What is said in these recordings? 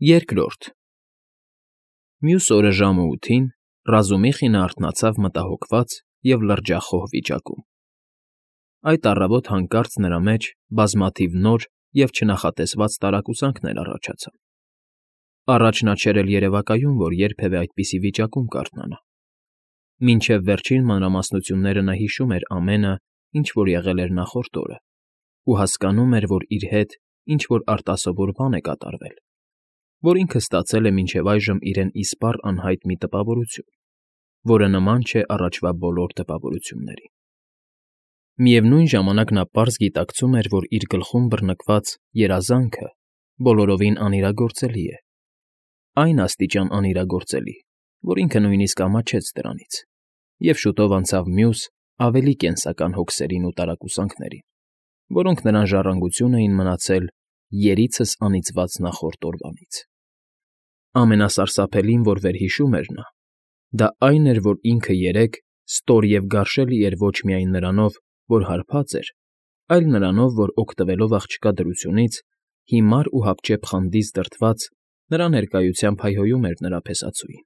Երկրորդ Մյուս օրը ժամը 8-ին Ռազումիխինը արթնացավ մտահոգված և լրջախոհ վիճակում. այդ առավոտ հանկարծ նրա մեջ բազմաթիվ նոր և չնախատեսված տարակուսանքներ առաջացան. առաջ նա չէր էլ երևակայում, որ երբևէ այդպիսի վիճակում կարթնանա. մինչև վերջին մանրամասնությունները նա հիշում էր ամենը, ինչ որ եղել էր նախորդ օրը, ու հասկանում էր, որ իր հետ ինչ֊որ արտասովոր բան է կատարվել, որ ինքը ստացել է մինչև այժմ իրեն իսպառ անհայտ մի տպավորություն, որը նման չէ առաջվա բոլոր տպավորություններին. միևնույն ժամանակ նա պարզ գիտակցում էր, որ իր գլխում բռնկված երազանքը բոլորովին անիրագործելի է, այն աստիճան անիրագործելի, որ ինքը նույնիսկ ամաչեց դրանից, և շուտով անցավ մյուս, ավելի կենսական հոգսերին ու տարակուսանքներին, որոնք նրան ժառանգություն էին մնացել երիցս անիծված նախորդ օրվանից. ամենասարսափելին, որ վերհիշում էր նա, դա այն էր, որ ինքը երեկ ստոր և գարշելի էր ոչ միայն նրանով, որ հարբած էր, այլ նրանով, որ օգտվելով աղջկա դրությունից, հիմար ու հապճեպ խանդից դրդված, նրա ներկայությամբ հայհոյում էր նրա փեսացուին,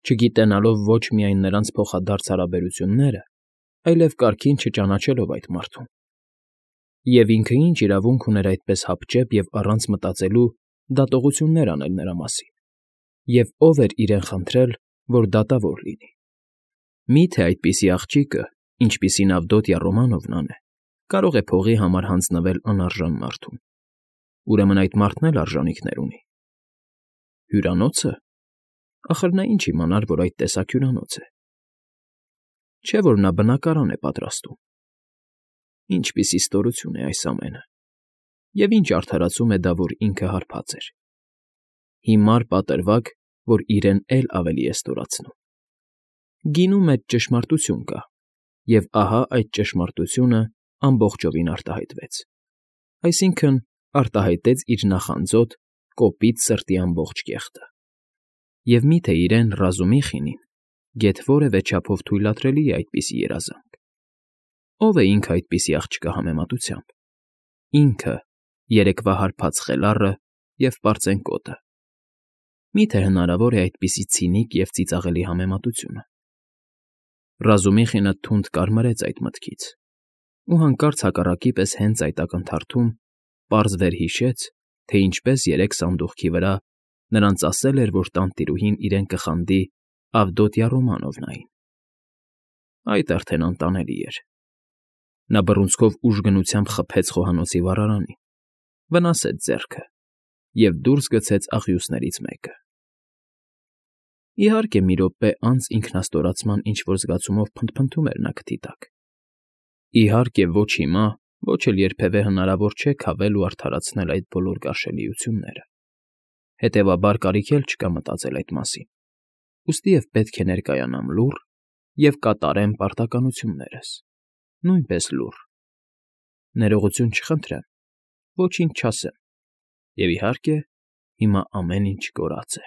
չգիտենալով ոչ միայն նրանց փոխադարձ հարաբերությունները, այլև կարգին չճանաչելով այդ մարդուն. և ինքը ինչ իրավունք ուներ այդպես հապճեպ և առանց մտածելու դատողություններ անել նրա մասին, և ով էր իրեն խնդրել, որ դատավոր լինի. մի՞թե այդպիսի աղջիկը, ինչպիսին Ավդոտյա Ռոմանովնան է, կարող է փողի համար հանձնվել անարժան մարդուն, ուրեմն այդ մարդն էլ արժանիքներ ունի. հյուրանո՞ցը. ախր նա ինչ իմանար, որ այդ տեսակ հյուրանոց է, չէ՞ որ նա բնակարան է պատրաստում. ինչպիսի ստորություն է այս ամենը, և ինչ արդարացում է դա, որ ինքը հարբած էր, հիմար պատրվակ, որ իրեն էլ ավելի է ստորացնում. գինու մեջ ճշմարտություն կա, և ահա այդ ճշմարտությունը ամբողջովին արտահայտվեց, այսինքն՝ արտահայտեց իր նախանձոտ, կոպիտ սրտի ամբողջ կեղտը. և մի՞թե իրեն Ռազումիխինին գեթ որևէ չափով թույլատրելի է այդպիսի երազանք. ո՞վ է ինքը այդպիսի աղջկա համեմատությամբ, ինքը, երեկվա հարբած խելառը և պարծենկոտը, մի՞թե հնարավոր է այդպիսի ցինիկ և ծիծաղելի համեմատությունը. Ռազումիխինը թունդ կարմրեց այդ մտքից, ու հանկարծ հակառակի պես հենց այդ ակնթարթում պարզ վերհիշեց, թե ինչպես երեկ սանդուղքի վրա նրանց ասել էր, որ տանտիրուհին իրեն կխանդի Ավդոտյա Ռոմանովնային. այդ արդեն անտանելի էր. նա բռունցքով ուժգնությամբ խփեց խոհանոցի վառարանին, վնասեց ձեռքը և դուրս գցեց աղյուսներից մեկը. իհարկե, մի րոպե անց ինքնաստորացման ինչ֊որ զգացումով փնթփնթում էր նա քթի տակ. իհարկե, ոչ հիմա, ոչ էլ երբևէ հնարավոր չէ քավել ու արդարացնել այդ բոլոր գարշելիությունները, հետևաբար կարիք էլ չկա մտածել այդ մասին, ուստի և պետք է ներկայանամ լուռ և կատարեմ պարտականություններս, նույնպես լուռ, ներողություն չխնդրեմ, ոչինչ չասեմ, և, իհարկե, հիմա ամեն ինչ կորած է…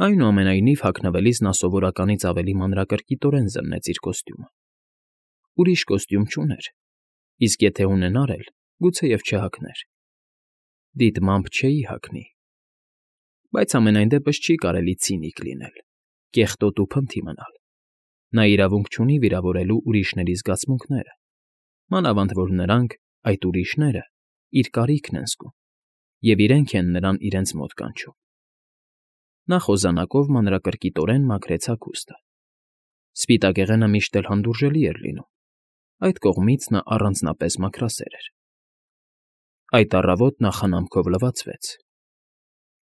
Այնուամենայնիվ, հագնվելիս նա սովորականից ավելի մանրակրկիտորեն զննեց իր կոստյումը. ուրիշ կոստյում չուներ, իսկ եթե ունենար էլ, գուցեև չհագներ. դիտմամբ չէի հագնի, բայց համենայն դեպս չի կարելի ցինիկ լինել, կեղտոտ ու փնթի մնալ, նա իրավունք չունի վիրավորելու ուրիշների զգացմունքները, մանավանդ որ նրանք, այդ ուրիշները, իր կարիքն են զգում, և իրենք են նրան իրենց մոտ կանչում. նա խոզանակով մանրակրկիտորեն մաքրեց հագուստը. սպիտակեղենը միշտ էլ հանդուրժելի էր լինում, այդ կողմից նա առանձնապես մաքրասեր էր. այդ առավոտ նա խնամքով լվացվեց,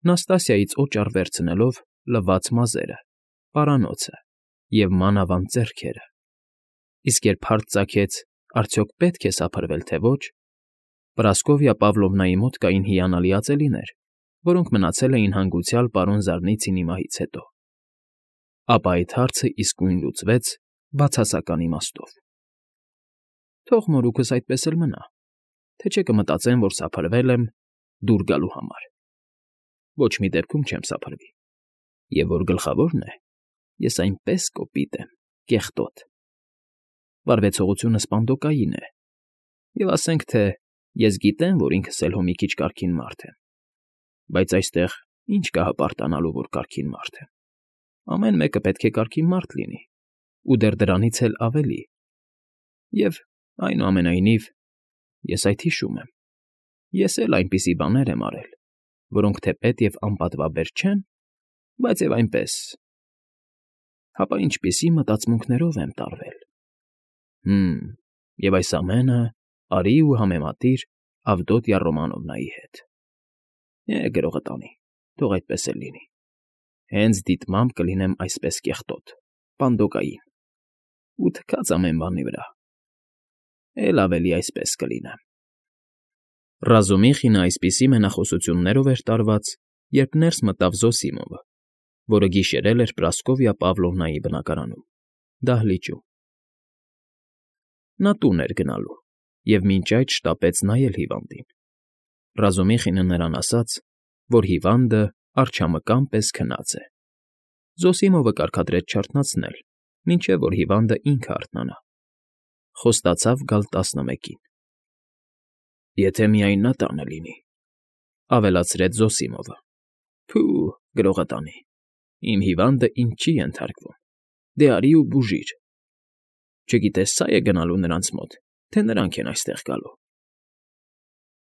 Նաստասիայից օճառ վերցնելով լվաց մազերը, պարանոցը և մանավանդ ձեռքերը, իսկ երբ հարց ծագեց, արդյոք պետք է սափրվել, թե ոչ, Պրասկովյա Պավլովնայի մոտ կային հիանալի ածելիներ, որոնք մնացել էին հանգուցյալ պարոն Զարնիցինի մահից հետո, ապա այդ հարցն իսկույն լուծվեց բացասական իմաստով. թող մորուքս այդպես էլ մնա, թե չէ կմտածեն, որ սափրվել եմ դուր գալու համար, ոչ մի դեպքում չեմ սափրվի, և որ գլխավորն է, ես այնպես կոպիտ եմ, կեղտոտ, վարվեցողությունս պանդոկային է, և ասենք թե ես գիտեմ, որ ինքս էլ հո մի քիչ կարգին մարդ եմ, Բայց այստեղ ինչ կա հպարտանալու, որ կարգին մարդ եմ։ Ամեն մեկը պետք է կարգին մարդ լինի, ու դեռ դրանից էլ ավելի։ Եվ, այնուամենայնիվ, ես այդ հիշում եմ։ Ես էլ այնպիսի բաներ եմ արել, որոնք թեպետ և անպատվաբեր չեն, բայց և այնպես… Հապա ինչպիսի մտածմունքներով եմ տարվել… Եվ այս ամենը արի ու համեմատիր Ավդոտյա Ռոմանովնայի հետ։ Գրողը տանի, թող այդպես էլ լինի։ Հենց դիտմամբ կլինեմ այսպես կեղտոտ, պանդոկային, ու թքած ամեն բանի վրա։ Էլ ավելի այսպես կլինեմ։ Ռազումիխինը այսպիսի մենախոսություններով էր տարված, երբ ներս մտավ Զոսիմովը, որը գիշերել էր Պրասկովյա Պավլովնայի բնակարանում, դահլիճում։ Նա տուն էր գնալու և մինչ այդ շտապեց նայել հիվանդին։ Ռազումիխինը նրան ասաց, որ հիվանդը արջամկան պես քնած է։ Զոսիմովը կարգադրեց չարթնացնել, մինչև որ հիվանդը ինքը արթնանա։ Խոստացավ գալ 11-ին։ Եթե միայն նա տանը լինի, ավելացրեց Զոսիմովը։ Փու, գրողը տանի, իմ հիվանդը ինձ չի ենթարկվում, դե արի ու բուժիր։ Չգիտես սա՞ է գնալու նրանց մոտ, թե նրանք են այստեղ գալու։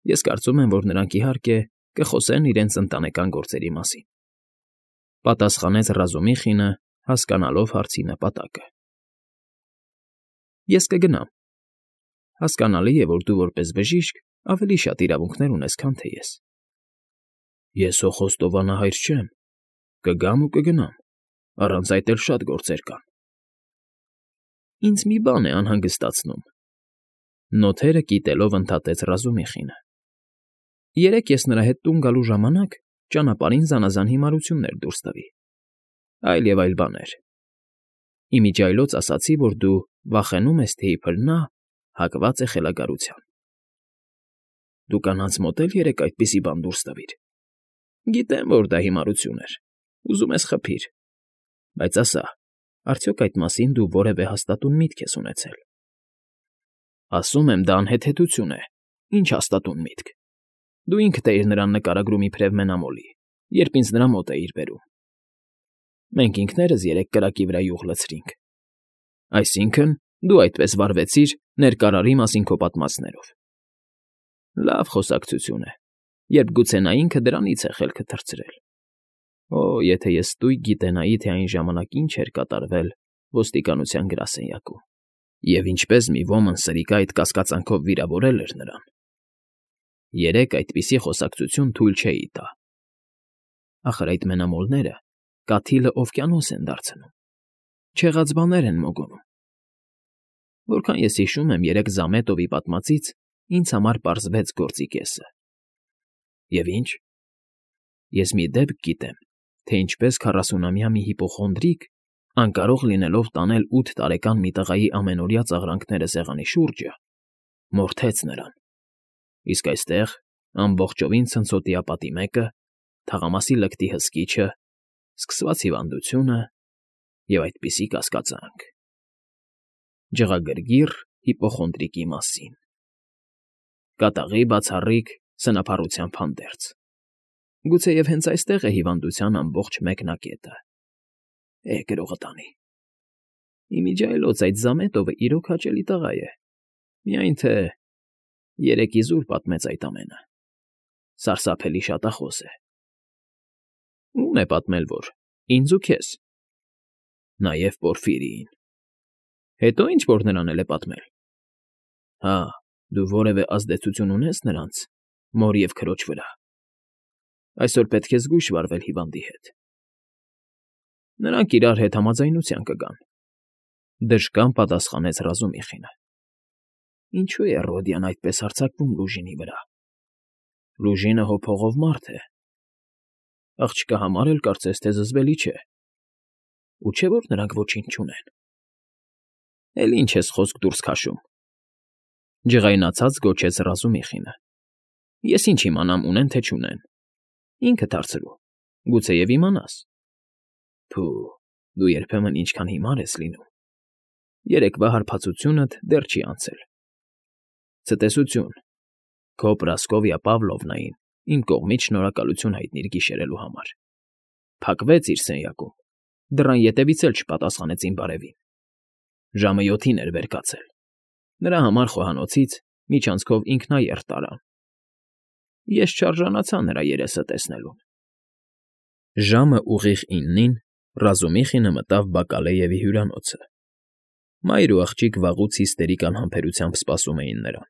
Ես կարծում եմ, որ նրանք, իհարկե, կխոսեն իրենց ընտանեկան գործերի մասին, պատասխանեց Ռազումիխինը, հասկանալով հարցի նպատակը։ Ես կգնամ։ Հասկանալի է, որ դու որպես բժիշկ ավելի շատ իրավունքներ ունես, քան թե ես։ Ես հո խոստովանահայր չեմ, կգամ ու կգնամ, առանց այդ էլ շատ գործեր կան։ Ինձ մի բան է անհանգստացնում, նոթերը կիտելով ընդհատեց Ռազումիխինը։ Երեկ ես նրա հետ տուն գալու ժամանակ ճանապարհին զանազան հիմարություններ դուրս տվի, այլ և այլ բաներ։ Իմիջիայլոց ասացի, որ դու վախենում ես, թե իբր նա հակված է խելագարության։ Դու կանանց մոտ էլ երեկ այդպիսի բան դուրս տվիր։ Գիտեմ, որ դա հիմարություն էր, ուզում ես խփիր, բայց ասա, արդյոք այդ մասին դու որևէ հաստատուն միտք ես ունեցել։ Ասում եմ, դա անհեթեթություն է, ինչ հաստատուն միտք։ Դու ինքդ էիր նրան նկարագրում իբրև մենամոլի, երբ ինձ նրա մոտ էիր բերում։ Մենք ինքներս երեք կրակի վրա յուղ լցրինք։ Այսինքն, դու այդպես վարվեցիր ներկարարի մասին քո պատմածներով։ Լավ խոսակցություն է, երբ գուցե նա ինքը դրանից է խելքը թռցրել։ Օ, եթե ես ստույգ գիտենայի, թե այն ժամանակ ինչ էր կատարվել ոստիկանության գրասենյակում, և ինչպես մի ոմն սրիկա այդ կասկածանքով վիրավորել էր նրան։ Երեկ այդպիսի խոսակցություն թույլ չէի տա։ Ախր այդ մենամոլները կաթիլը օվկիանոս են դարձնում, չեղած բաներ են մոգոնում։ Որքան ես հիշում եմ, երեկ Զամետովի պատմածից ինձ համար պարզվեց գործի կեսը։ Եվ ինչ։ Ես մի դեպք գիտեմ, թե ինչպես 40-ամյա մի հիպոխոնդրիկ, անկարող լինելով տանել 8 տարեկան մի տղայի ամենօրյա ծաղրանքները սեղանի շուրջը, մորթեց նրան։ Իսկ այստեղ, ամբողջովին ցնցոտիապատի մեկը, թաղամասի լկտի հսկիչը, սկսված հիվանդությունը և այդպիսի կասկածանք։ Ջղագրգիռ հիպոխոնդրիկի մասին։ Կատաղի բացառիկ սնափառության փանդերձ։ Գուցեև հենց այստեղ է հիվանդության ամբողջ մեկնակետը։ Գրողը տանի։ Իմիջիայլոց այդ Զամետովը իրոք հաճելի տղա է, միայն թե երեկ իզուր պատմեց այդ ամենը։ Սարսափելի շատախոս է։ Ո՞ւմ է պատմել որ, ինձ ու քեզ։ Նաև Պորֆիրիին։ Հետո ինչ որ նրան էլ է պատմել։ Հա, դու որևէ ազդեցություն ունես նրանց, մոր և քրոջ վրա։ Այսօր պետք է զգույշ վարվել հիվանդի հետ։ Նրանք իրար հետ համաձայնության կգան։ Դժկան պատասխանեց Ռազումիխինը։ Ինչու է Ռոդիան այդպես հարձակվում Լուժինի վրա։ Լուժինը հո փողով մարդ է։ Աղջկա համար էլ կարծես թե զզվելի չէ։ Ու չէ՞ որ նրանք ոչինչ չունեն։ Էլ ինչ ես խոսք դուրս քաշում։ Ջղայնացած գոչեց Ռազումիխինը։ Ես ինչ իմանամ ունեն թե չունեն։ Ինքդ հարցրու, գուցեև իմանաս։ Փու, դու երբեմն ինչքան հիմար ես լինում։ Երեկվա հարբածությունդ դեռ չի անցել։ Ցտեսություն, քո Պրասկովյա Պավլովնային Իմ կողմից շնորհակալություն հայտնիր գիշերելու համար։ Փակվեց իր սենյակում, դռան ետևից էլ չպատասխանեց իմ բարևին։ Ժամը 7-ին էր վեր կացել։ Նրա համար խոհանոցից միջանցքով ինքնաերթ տարան։ Ես չարժանացա նրա երեսը տեսնելուն։ Ժամը ուղիղ 9-ին Ռազումիխինը մտավ Բակալեևի հյուրանոցը։ Մայր ու աղջիկ վաղուց հիստերիկ անհամբերությամբ սպասում էին նրան։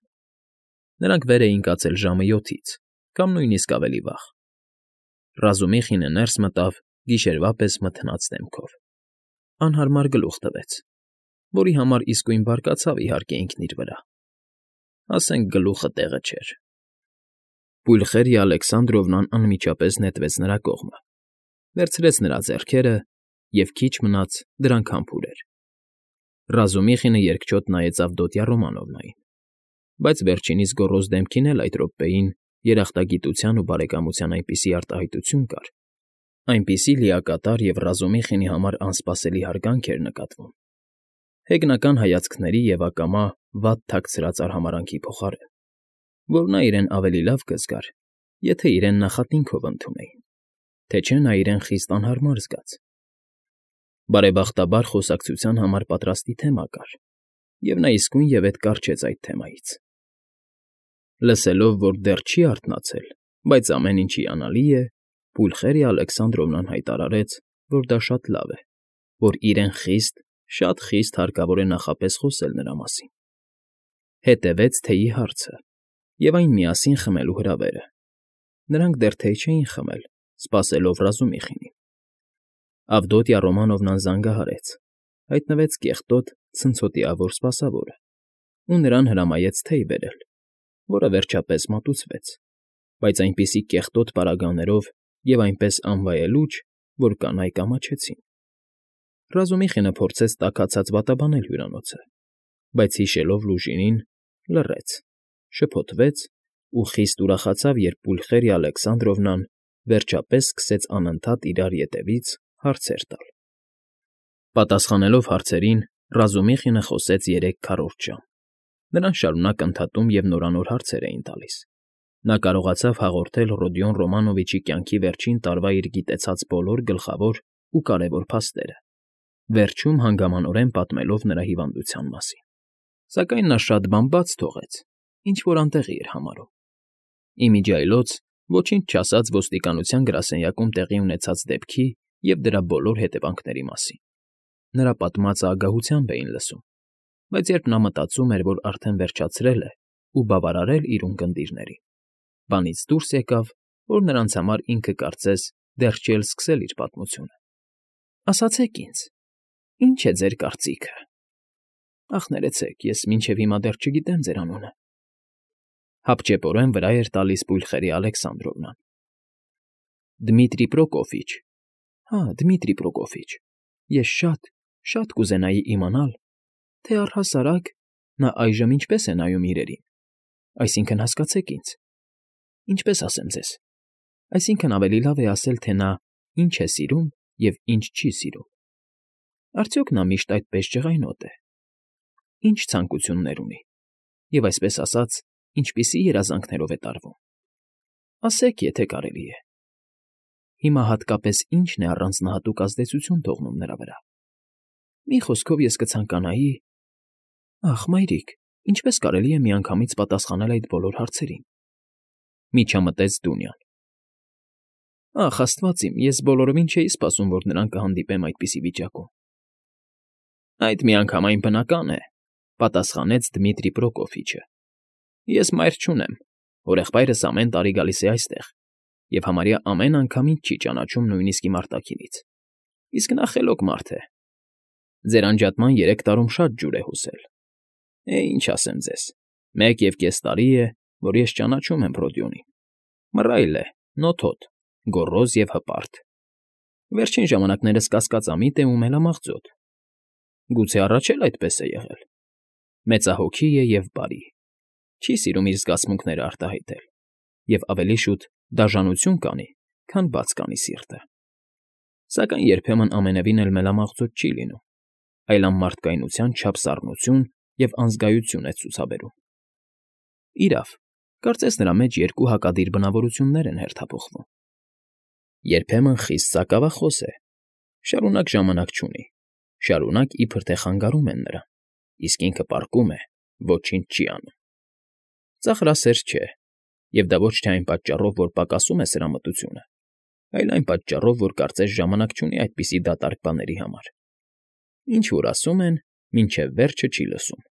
Նրանք վեր էին կացել ժամը 7-ից, կամ նույնիսկ ավելի վաղ։ Ռազումիխինը ներս մտավ գիշերվա պես մթնած դեմքով։ Անհարմար գլուխ տվեց, որի համար իսկույն բարկացավ իհարկե ինքն իր վրա։ Ասենք գլուխը տեղը չէր։ Պուլխերիա Ալեքսանդրովնան անմիջապես նետվեց նրա կողմը, վերցրեց նրա ձեռքերը և քիչ մնաց դրանք համբուրեր։ Ռազումիխինը երկչոտ նայեց Ավդոտյա Ռոմանովնային, բայց վերջինիս գոռոզ դեմքին էլ այդ րոպեին երախտագիտության ու բարեկամության այնպիսի արտահայտություն կար, այնպիսի լիակատար և Ռազումիխինի համար անսպասելի հարգանք էր նկատվում, հեգնական հայացքների և ակամա վատ թաքցրած արհամարհանքի փոխարեն, որ նա իրեն ավելի լավ կզգար, եթե իրեն նախատինքով ընդունեին, թե չէ նա իրեն խիստ անհարմար զգաց։ Բարեբախտաբար խոսակցության համար պատրաստի թեմա կար, և նա իսկույնևեթ կառչեց այդ թեմայից։ Լսելով, որ դեռ չի արթնացել, բայց ամեն ինչ հիանալի է, Պուլխերիա Ալեքսանդրովնան հայտարարեց, որ դա շատ լավ է, որ իրեն շատ խիստ հարկավոր է նախապես խոսել նրա մասին։ Հետևեց թեյի հարցը և այն միասին խմելու հրավերը։ Նրանք դեռ թեյ չէին խմել, սպասելով Ռազումիխինին։ Ավդոտյա Ռոմանովնան զանգահարեց, հայտնվեց կեղտոտ, ցնցոտիավոր սպասավորը ու նրան հրամայեց թեյ բերել, որը վերջապես մատուցվեց, բայց այնպիսի կեղտոտ պարագաներով և այնպես անվայելուչ, որ կանայք ամաչեցին։ Ռազումիխինը փորձեց տաքացած վատաբանել հյուրանոցը, բայց հիշելով լուժինին, լռեց, շփոթվեց ու խիստ ուրախացավ, երբ Պուլխերիա Ալեքսանդրովնան վերջապես սկսեց անընդհատ իրար ետևից հարցեր տալ։ Պատասխանելով հարցերին, Ռազումիխինը խոսեց 3 քառորդ ժամ։ Նրան շարունակ ընդհատում և նորանոր հարցեր էին տալիս։ Նա կարողացավ հաղորդել Ռոդիոն Ռոմանովիչի կյանքի վերջին տարվա իր գիտեցած բոլոր գլխավոր ու կարևոր փաստերը, վերջում հանգամանորեն պատմելով նրա հիվանդության մասին։ Սակայն նա շատ բան բաց թողեց, ինչ֊որ անտեղի էր համարում։ Ի միջի այլոց ոչինչ չասաց ոստիկանության գրասենյակում տեղի ունեցած դեպքի և դրա բոլոր հետևանքների մասին։ Նրա պատմածը ագահությամբ էին լսում, բայց երբ նա մտածում էր, որ արդեն վերջացրել է ու բավարարել իր ունկնդիրներին, բանից դուրս եկավ, որ նրանց համար ինքը կարծես դեռ չի էլ սկսել իր պատմությունը։ Ասացեք ինձ, ի՞նչ է ձեր կարծիքը։ Ախ, ներեցեք, ես մինչև հիմա դեռ չգիտեմ ձեր անունը։ Հապճեպորեն վրա էր տալիս Պուլխերիա Ալեքսանդրովնան։ Դմիտրի Պրոկոֆիչ։ Հա, Դմիտրի Պրոկոֆիչ։ Ես շատ կուզենայի իմանալ, թե առհասարակ նա այժմ ինչպես է նայում իրերին, այսինքն հասկացեք ինձ։ Ինչպես ասեմ ձեզ, այսինքն ավելի լավ է ասել, թե նա ինչ է սիրում և ինչ չի սիրում։ Արդյոք նա միշտ այդպես ջղայնոտ է։ Ինչ ցանկություններ ունի և, այսպես ասած, ինչպիսի երազանքներով է տարվում։ Ասեք, եթե կարելի է։ Հիմա հատկապես ի՞նչն է առանձնահատուկ ազդեցություն թողնում նրա վրա։ Մի խոսքով ես կցանկանայի… Ախ, մայրիկ, ինչպես կարելի է միանգամից պատասխանել այդ բոլոր հարցերին։ Միջամտեց Դունյան։ Ախ, աստված իմ, ես բոլորովին չէի սպասում, որ նրան կհանդիպեմ այդպիսի վիճակում։ Այդ միանգամայն բնական է, պատասխանեց Դմիտրի Պրոկոֆիչը։ Ես մայր չունեմ, հորեղբայրս ամեն տարի գալիս է այստեղ և համարյա ամեն անգամ ինձ չի ճանաչում նույնիսկ իմ արտաքինից, իսկ նա խելոք մարդ է։ Ձեր անջատման 3 տարում շատ ջուր է հոսել։ Ինչ ասեմ ձեզ, 1.5 տարի է, որ ես ճանաչում եմ Ռոդիոնին։ Մռայլ է, նոթոտ, գոռոզ և հպարտ։ Վերջին ժամանակներս կասկածամիտ է ու մելամաղձոտ։ Գուցե առաջ էլ այդպես է եղել։ Մեծահոգի է և բարի, չի սիրում իր զգացմունքները արտահայտել և ավելի շուտ դաժանություն կանի, քան բաց կանի սիրտը։ Սակայն երբեմն ամենևին էլ մելամաղձոտ չի լինում, այլ անմարդկայնության չափ սառնություն և անզգայություն է ցուցաբերում։ Իրավ, Կարծես նրա մեջ երկու հակադիր բնավորություններ են հերթափոխվում։ Երբեմն խիստ սակավախոս է, շարունակ ժամանակ չունի, շարունակ իբր թե խանգարում են նրան, իսկ ինքը պառկում է, ոչինչ չի անում։ Ծաղրասեր չէ, և դա ոչ թե այն պատճառով, որ պակասում է սրամտությունը, այլ այն պատճառով, որ կարծես ժամանակ չունի այդպիսի դատարկ բաների համար։ Ինչ որ ասում են, մինչև վերջը չի լսում,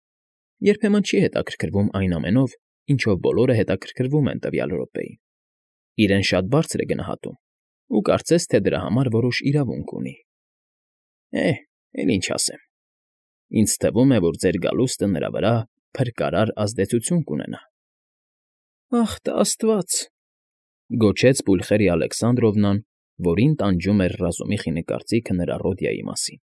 երբեմն չի հետաքրքրվում այն ամենով, ինչով բոլորը հետաքրքրվում են տվյալ րոպեին, իրեն շատ բարձր է գնահատում ու կարծես թե դրա համար որոշ իրավունք ունի։ Էլ ինչ ասեմ, ինձ թվում է, որ ձեր գալուստը նրա վրա փրկարար ազդեցություն կունենա։ Ախ տա աստված, գոչեց Պուլխերիա Ալեքսանդրովնան, որին տանջում էր ռազումի խինը կարծիքը նրա Ռոդիայի մասին։